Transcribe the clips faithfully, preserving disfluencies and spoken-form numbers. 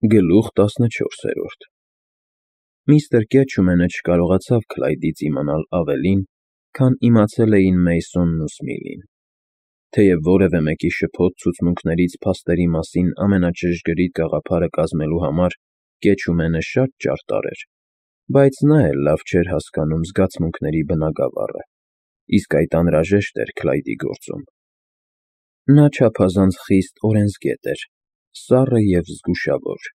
Գլուխ տասնչորսերորդ Միստր Կեչումենը չկարողացավ Քլայդից իմանալ ավելին, քան իմացել էին Մեյսոնն ու Սմիլին. թեև որևէ մեկի շփոթ ցուցմունքներից փաստերի մասին ամենաճշգրիտ գաղափարը կազմելու համար Կեչումենը շատ ճարտար էր, բայց նա էլ լավ չէր հասկանում զգացմունքների բնագավառը, իսկ այդ անհրաժեշտ էր Քլայդի գործում. նա չափազանց խիստ օրենսգետ էր, սառը և զգուշավոր.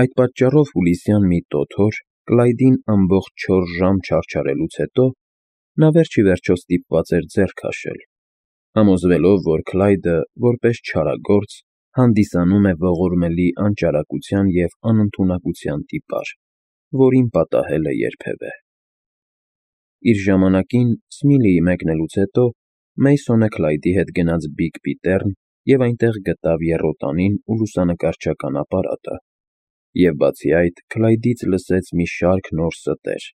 Այդ պատճառով հուլիսյան մի տոթ օր Քլայդին ամբողջ չորս ժամ չարչարելուց հետո նա վերջիվերջո ստիպված էր ձեռ քաշել, համոզվելով, որ Քլայդը, որպես չարագործ, հանդիսանում է ողորմելի անճարակության և անընդունակության տիպար, որին պատահել է երբևէ։ Իր ժամանակին Սմիլիի մեկնելուց հետո Մեյսոնը Քլայդի հետ գնաց Բիգ Պիտեռն և այնտեղ գտավ եռոտանին ու լուսանկարչական ապարատը, և բացի այդ Քլայդից լսեց մի շարք նոր ստեր։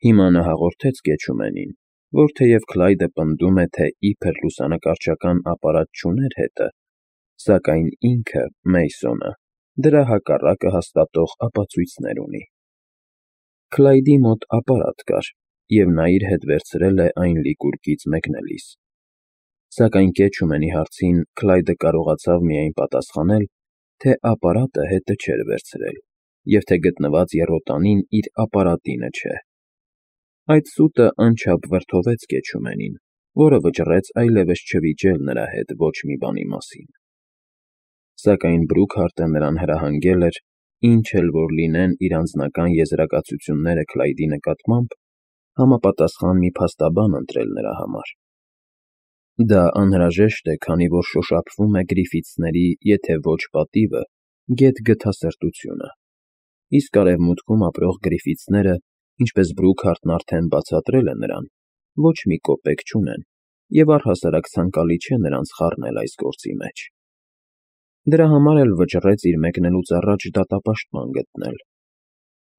Հիմա նա հաղորդեց Կեչումենին, որ թեև Քլայդը պնդում է, թե իբր լուսանկարչական ապարատ չուներ հետը, սակայն ինքը՝ Մեյսոնը, դրա հակառակը հաստատող ապացույցներ ունի։ Քլայդի մոտ ապարատ կար, և նա իր հետ վերցրել է այն լիկուրկից մեկնելիս։ Սակայն Կեչումենի հարցին Քլայդը կարողացավ միայն պատասխանել, թե ապարատը հետը չէր վերցրել և թե գտնված եռոտանին իր ապարատինը չէ։ Այդ սուտը անչափ վրդովեց Կեչումենին, որը վճռեց այլևս չվիճել նրա հետ ոչ մի բանի մասին։ Սակայն Բրուքհարտը նրան հրահանգել էր, ինչ էլ որ լինեն իր անձնական եզրակացությունները Քլայդի նկատմամբ, համապատասխան մի փաստաբան ընտրել նրա համար։ Դա անհրաժեշտ է, քանի որ շոշափվում է Գրիֆիթսների, եթե ոչ պատիվը, գեթ գթասրտությունը, իսկ արևմուտքում ապրող Գրիֆիթսները, ինչպես Բրուքհարտն արդեն բացատրել է նրան, ոչ մի կոպեկ չունեն, և առհասարակ ցանկալի չէ նրանց խառնել այս գործի մեջ։ Դրա համար էլ վճռեց իր մեկնելուց առաջ դատապաշտպան գտնել,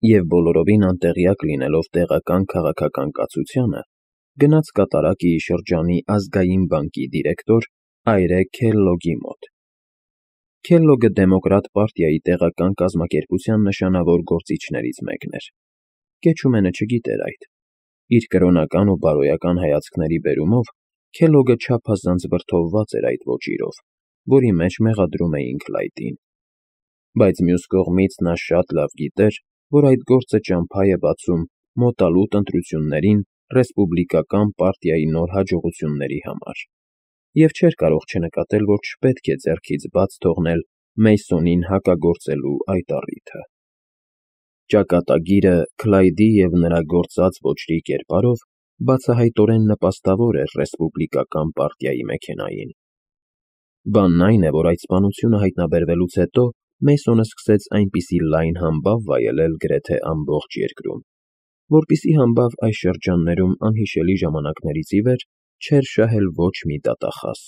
և բոլորովին անտեղյակ լինելով տեղական քաղաքական կացությանը, գնաց կատարակիի շրջանի ազգային բանկի դիրեկտոր Այրե Քելլոգի մոտ։ Քելլոգը Դեմոկրատ պարտիայի տեղական կազմակերպության նշանավոր գործիչներից մեկն էր։ Կեչումենը չգիտեր այդ։ Իր կրոնական ու բարոյական հայացքների բերումով Քելլոգը չափազանց վրդովված էր այդ ոճիրով, որի մեջ մեղադրում էին Քլայդին։ Բայց մյուս կողմից նա շատ լավ գիտեր, որ այդ գործը ճամփա է բացում մոտալուտ ընտրություններին ռեսպուբլիկական պարտիայի նոր հաջողությունների համար, և չէր կարող չնկատել, որ չպետք է ձեռքից բաց թողնել Մեյսոնին հակագործելու այդ առիթը։ Ճակատագիրը Քլայդի և նրա գործած ոճրի կերպարով բացահայտորեն նպաստավոր էր ռեսպուբլիկական պարտիայի մեքենային։ Բանն այն է, որ այդ սպանությունը հայտնաբերվելուց հետո Մեյսոնը սկսեց այնպիսի լայն համբավ վայելել գրեթե ամբողջ երկրում, որպեսզի համբավ այս շրջաններում անհիշելի ժամանակներից ի վեր չէր շահել ոչ մի դատախազ։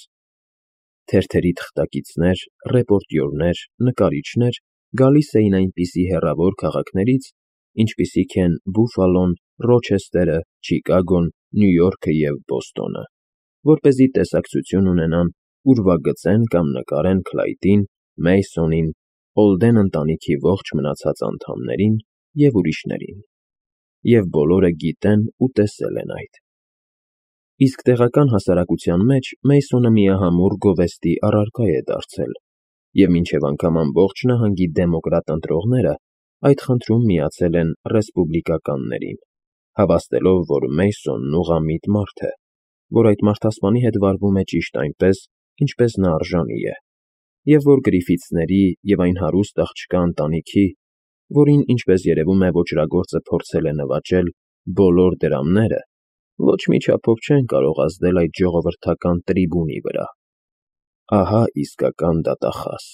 Թերթերի թղթակիցներ, ռեպորտյորներ, նկարիչներ գալիս էին այնպիսի հեռավոր քաղաքներից, ինչպիսիք են Բուֆալոն, Ռոչեսթերը, Չիկագոն, Նյու Յորքը և Բոստոնը, որպեսզի տեսակցություն ունենան, ուրվագծեն կամ նկարեն Քլայդին, Մեյսոնին, Օլդեն ընտանիքի ողջ մնացած անդամներին և ուրիշներին։ Եվ բոլորը գիտեն ու տեսել են այդ։ Իսկ տեղական հասարակության մեջ Մեյսոնը միահամուռ գովեստի առարկա է դարձել, և մինչև անգամ ամբողջ նահանգի դեմոկրատ ընտրողները այդ խնդրում միացել են ռեսպուբլիկականներին, հավաստելով, որ Մեյսոնն ուղղամիտ մարդ է, որ այդ մարդասպանի հետ վարվում է ճիշտ այնպես, ինչպես նա արժանի է, և որ Գրիֆիթսների և այն հարուստ աղջկա ընտանիքի, որին, ինչպես երևում է, ոճրագործը փորձել է նվաճել, բոլոր դրամները ոչ մի չափով չեն կարող ազդել այդ ժողովրդական տրիբունի վրա։ Ահա իսկական դատախազ։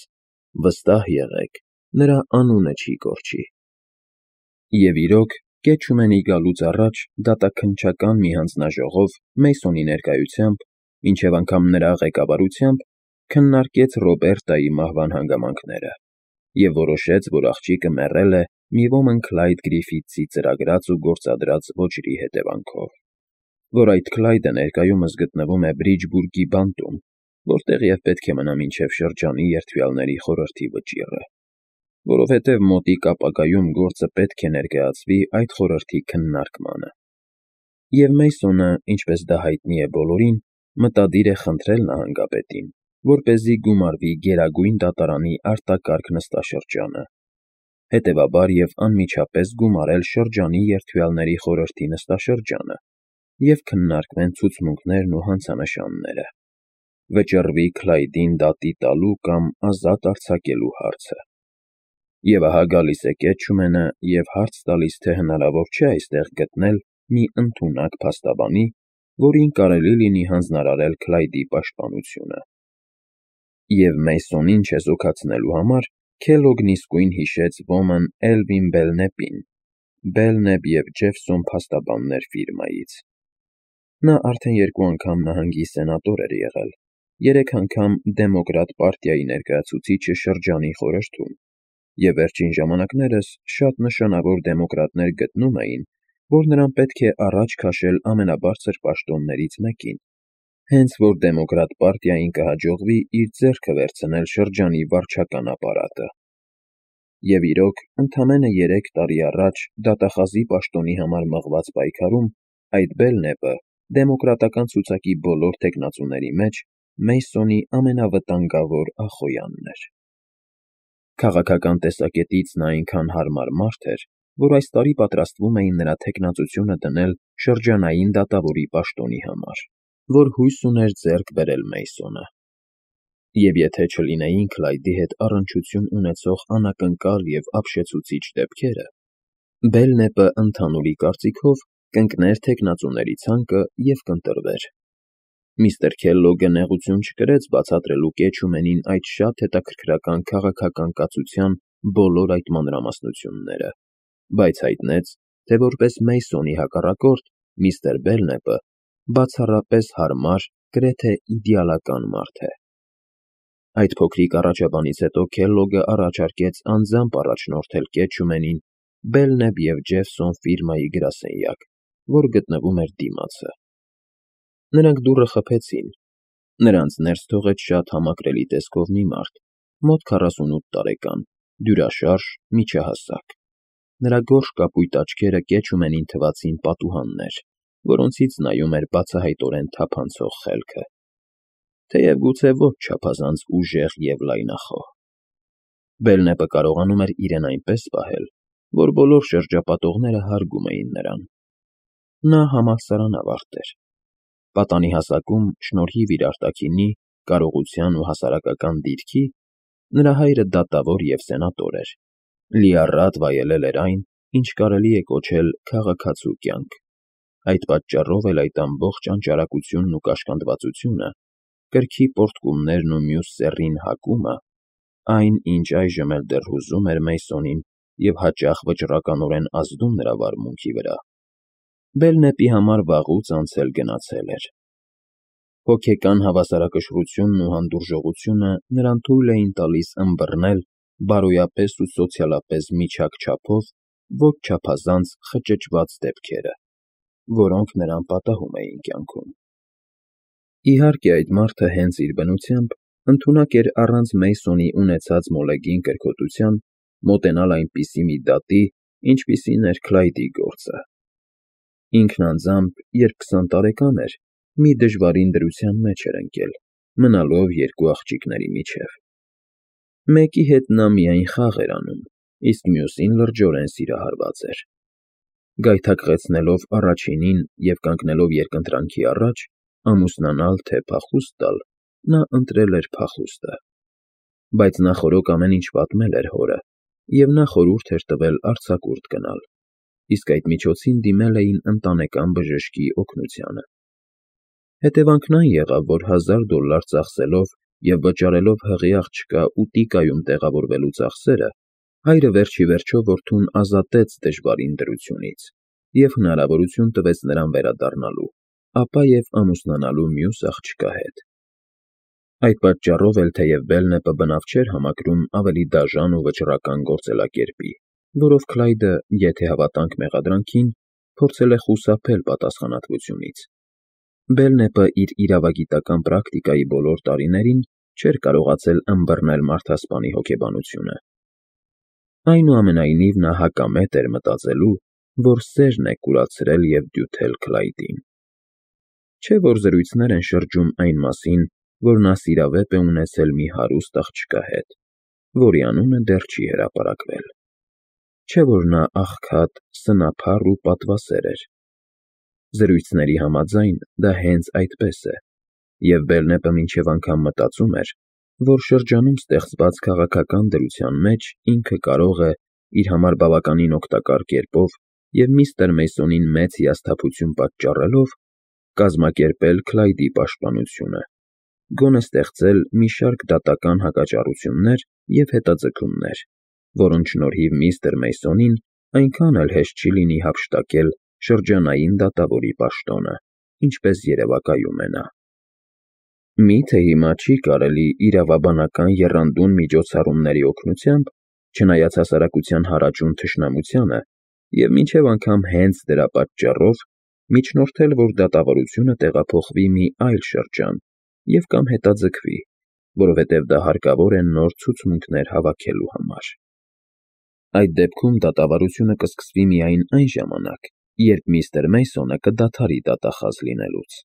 Վստահ եղեք, նրա անունը չի կորչի։ Եվ իրոք, Կեչումենի գալուց առաջ դատաքննչական մի հանձնաժողով Մեյսոնի ներկայությամբ, մինչև անգամ նրա ղեկավարությամբ, քննարկեց Ռոբերտայի մահվան հանգամանքները և որոշեց, որ աղջիկը մեռել է մի ոմն Քլայդ Գրիֆիթսի ծրագրած ու գործադրած ոճրի հետևանքով, որ այդ Քլայդը ներկայումս գտնվում է Բրիջբուրգի բանտում, որտեղ և պետք է մնա մինչև շրջանի երդվյալների խորհրդի վճիռը։ որովհետև մոտիկ ապագայում գործը պետք է ներկայացվի այդ խորհրդի քննարկմանը։ Եվ Մեյսոնը, ինչպես դա հայտնի է բոլորին, մտադիր է խնդրել նահանգապետին, որպեսզի գումարվի Գերագույն դատարանի արտակարգ նստաշրջանը, հետևաբար և անմիջապես գումարել շրջանի երդվյալների խորհրդի նստաշրջանը և քննարկվեն ցուցմունքներն ու հանցանշանները, վճռվի Քլայդին դատի տալու կամ ազատ արձակելու հարցը։ Եվ ահա գալիս է Կեչումենը և հարց տալիս, թե հնարավոր չէ այստեղ գտնել մի ընդունակ փաստաբանի, որին կարելի լինի հանձնարարել Քլայդի պաշտպանությունը։ Եվ Մեյսոնին չեզոքացնելու համար Քելոգն իսկույն հիշեց ոմն Էլվին Բելնեպին, Բելնեպ և Ջեֆսոն փաստաբաններ ֆիրմայից։ Նա արդեն երկու անգամ նահանգի սենատոր էր եղել, երեք անգամ Դեմոկրատ պարտիայի ներկայացուցիչը շրջանի խորհրդում, և վերջին ժամանակներս շատ նշանավոր դեմոկրատներ գտնում էին, որ նրան պետք է առաջ քաշել ամենաբարձր պաշտոններից մեկին, հենց որ Դեմոկրատ պարտիային կհաջողվի իր ձեռքը վերցնել շրջանի վարչական ապարատը։ Եվ իրոք, ընդամենը երեք տարի առաջ դատախազի պաշտոնի համար մղված պայքարում այդ Բելնեպը դեմոկրատական ցուցակի բոլոր թեկնածուների մեջ Մեյսոնի ամենավտանգավոր ախոյանն էր։ Քաղաքական տեսակետից նա այնքան հարմար մարդ էր, որ այս տարի պատրաստվում էին նրա թեկնածությունը դնել շրջանային դատավորի պաշտոնի համար, որ հույս ուներ ձեռք բերել Մեյսոնը։ Եվ եթե չլինեին Քլայդի հետ առնչություն ունեցող անակնկալ և ապշեցուցիչ դեպքերը, Բելնեպը ընդհանուրի կարծիքով կընկներ թեկնածուների ցանկը և կընտրվեր։ Միստր Քելլոգը նեղություն չկրեց բացատրելու Կեչումենին այդ շատ հետաքրքրական քաղաքական կացության բոլոր այդ մանրամասնությունները, բայց հայտնեց, թե որպես Մեյսոնի հակառակորդ միստր Բելնեպը բացառապես հարմար, գրեթե իդեալական մարդ է։ Այդ փոքրիկ առաջաբանից հետո Քելլոգը առաջարկեց անձամբ առաջնորդել Կեչումենին Բելնեպ և Ջեֆսոն ֆիրմայի գրասենյակ, որ գտնվում էր դիմացը։ Նրանք դուռը խփեցին։ Նրանց ներս թողեց շատ համակրելի տեսքով մի մարդ, մոտ քառասունութ տարեկան, դյուրաշարժ, միջահասակ։ Նրա գորշ կապույտ աչքերը Կեչումենին թվացին պատուհաններ, որոնցից նայում էր բացահայտորեն թափանցող խելքը, թեև գուցե ոչ չափազանց ուժեղ և լայնախոհ։ Բելնեպը կարողանում էր իրեն այնպես պահել, որ բոլոր շրջապատողները հարգում էին նրան։ Նա համալսարանավարտ էր։ Պատանի հասակում, շնորհիվ իր արտաքինի, կարողության ու հասարակական դիրքի, նրա հայրը դատավոր և սենատոր էր, լիառատ վայելել էր այն, ինչ կարելի է կոչել քաղաքացու կյանք, այդ պատճառով էլ այդ ամբողջ անճարակությունն ու կաշկանդվածությունը, կրքի պոռթկումներն ու մյուս սեռին հակումը, այն, ինչ այժմ էլ դեռ հուզում էր Մեյսոնին և հաճախ վճռականորեն ազդում նրա վարմունքի վրա, Բելնեպի համար վաղուց անցել֊գնացել էր։ Հոգեկան հավասարակշռությունն ու հանդուրժողությունը նրան թույլ էին տալիս ըմբռնել բարոյապես ու սոցիալապես միջակ չափով ոչ չափազանց խճճված դեպքերը, որոնք նրան պատահում էին կյանքում։ Իհարկե, այդ մարդը հենց իր բնությամբ ընդունակ էր առանց Մեյսոնի ունեցած մոլեգին կրքոտության մոտենալ այնպիսի մի դատի, ինչպիսին էր Քլայդի գործը։ Ինքն անձամբ, երբ քսան տարեկան էր, մի դժվարին դրության մեջ էր ընկել, մնալով երկու աղջիկների միջև։ Մեկի հետ նա միայն խաղ էր անում, իսկ մյուսին լրջորեն սիրահարված էր։ Գայթակղեցնելով առաջինին և կանգնելով երկընտրանքի առաջ՝ ամուսնանալ, թե փախուստ տալ, նա ընտրել էր փախուստը։ Բայց նախօրոք ամեն ինչ պատմել էր հորը, և նա խորհուրդ էր տվել արձակուրդ գնալ, իսկ այդ միջոցին դիմել էին ընտանեկան բժշկի օգնությանը։ Հետևանքն այն եղավ, որ հազար դոլար ծախսելով և վճարելով հղի աղջկա Ուտիկայում տեղավորվելու ծախսերը, հայրը վերջիվերջո որդուն ազատեց դժվարին դրությունից և հնարավորություն տվեց նրան վերադառնալու, ապա և ամուսնանալու մյուս աղջկա հետ։ Այդ պատճառով էլ, թեև Բելնեպը բնավ չէր համակրում ավելի դաժան ու վճռական գործելակերպի, որով Քլայդը, եթե հավատանք մեղադրանքին, փորձել է խուսափել պատասխանատվությունից, Բելնեպը իր իրավագիտական պրակտիկայի բոլոր տարիներին չէր կարողացել ըմբռնել մարդասպանի հոգեբանությունը։ Այնուամենայնիվ նա հակամետ էր մտածելու, որ սերն է կուրացրել և դյութել Քլայդին։ Չէ՞ որ զրույցներ են շրջում այն մասին, որ նա սիրավեպ է ունեցել մի հարուստ աղջկա հետ, որի անունը դեռ չի հրապարակվել։ Չէ՞ որ նա աղքատ, սնափառ ու պատվասեր էր։ Զրույցների համաձայն դա հենց այդպես է, և Բելնեպը մինչև անգամ մտածում էր, որ շրջանում ստեղծված քաղաքական դրության մեջ ինքը կարող է, իր համար բավականին օգտակար կերպով և միստր Մեյսոնին մեծ հիասթափություն պատճառելով, կազմակերպել Քլայդի պաշտպանությունը, գոնե ստեղծել մի շարք դատական հակաճառություններ և հետաձգումներ, որոնց շնորհիվ միստր Մեյսոնին այնքան էլ հեշտ չի լինի հափշտակել շրջանային դատավորի պաշտոնը, ինչպես երևակայում է նա։ Մի՞թե հիմա չի կարելի իրավաբանական եռանդուն միջոցառումների օգնությամբ, չնայած հասարակության հարաճուն թշնամությանը, և մինչև անգամ հենց դրա պատճառով, միջնորդել, որ դատավորությունը տեղափոխվի մի այլ շրջան և կամ հետաձգվի, որովհետև դա հարկավոր է նոր ցուցմունքներ հավաքելու համար։ Այդ դեպքում դատավարությունը կսկսվի միայն այն ժամանակ, երբ միստր Մեյսոնը կդադարի դատախազ լինելուց։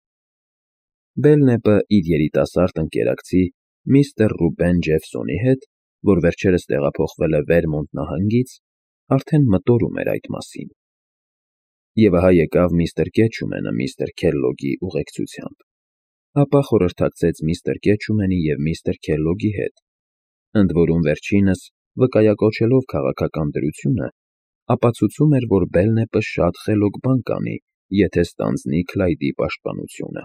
Բելնեպը իր երիտասարդ ընկերակցի միստր Ռուբեն Ջեֆսոնի հետ, որ վերջերս տեղափոխվել է Վերմոնտ նահանգից, արդեն մտորում էր այդ մասին։ Եվ ահա եկավ միստր Քեչումենը միստր Քելլոգի ուղեկցությամբ, ապա խորհրդակցեց միստր Քեչումենի և միստր Քելլոգի հետ, ընդ որում վերջինս, վկայակոչելով քաղաքական դրությունը, ապացուցում էր, որ Բելնեպը շատ խելոք բան կանի, եթե ստանձնի Քլայդի պաշտպանությունը։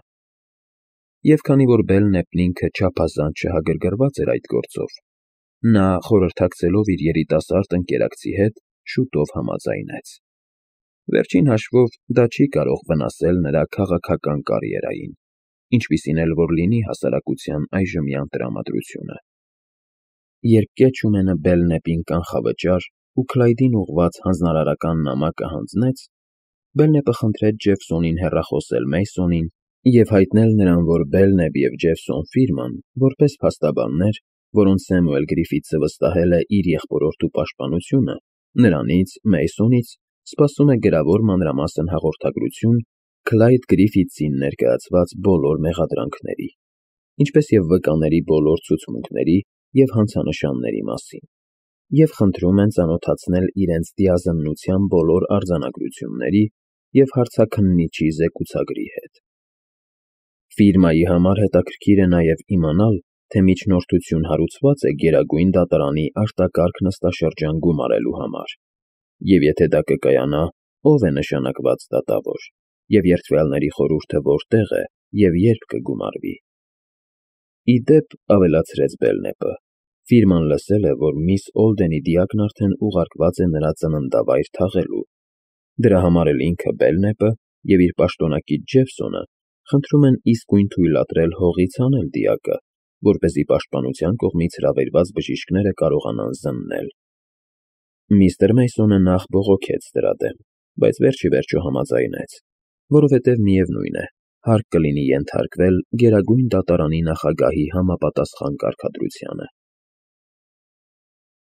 Եվ քանի որ Բելնեպն ինքը չափազանց չհագրգռված էր այդ գործով, նա, խորհրդակցելով իր երիտասարդ ընկերակցի հետ, շուտով համաձայնեց։ Վերջին հաշվով դա չի կարող վնասել նրա քաղաքական կարիերային, ինչպիսին էլ որ լինի հասարակության այժմյան տրամադրությունը։ Երբ Քեչումենը Բելնեպին կանխավճար ու Քլայդին ուղղված հանձնարարական նամակը հանձնեց, Բելնեպը խնդրեց Ջեֆսոնին հեռախոսել Մեյսոնին և հայտնել նրան, որ Բելնեպ և Ջեֆսոն ֆիրման, որպես փաստաբաններ, որոնց Սեմուել Գրիֆիթսը վստահել է իր եղբորորդու պաշտպանությունը, նրանից՝ Մեյսոնից, սպասում է գրավոր մանրամասն հաղորդագրություն Քլայդ Գրիֆիթսին ներկայացված բոլոր մեղադրանքների, ինչպես և վկաների բոլոր ցուցմունքների և հանցանշանների մասին, և խնդրում են ծանոթացնել իրենց դիազնմնության բոլոր արձանագրությունների և հարցաքննիչի զեկուցագրի հետ։ Ֆիրմայի համար հետաքրքիր է նաև իմանալ, թե միջնորդություն հարուցված է Գերագույն դատարանի արտակարգ նստաշրջան գումարելու համար, և եթե դա կկայանա, ով է նշանակված դատավոր, և երդվյալների խորհուրդը որտեղ է և երբ կգումարվի։ Ի դեպ, ավելացրեց Բելնեպը, ֆիրման լսել է, որ միս Օլդենի դիակն արդեն ուղարկված է նրա ծննդավայր թաղելու, դրա համար էլ ինքը՝ Բելնեպը և իր պաշտոնակից Ջեֆսոնը խնդրում են իսկույն թույլատրել հողից հանել դիակը, որպեսզի պաշտպանության կողմից հրավիրված բժիշկները կարողանան զննել։ Միստր Մեյսոնը նախ բողոքեց դրա դեմ, բայց վերջ ի վերջո համաձայնեց, որովհետև միևնույն է, հարկ կլինի ենթարկվել Գերագույն դատարանի նախագահի համապատասխան կարգադրությանը։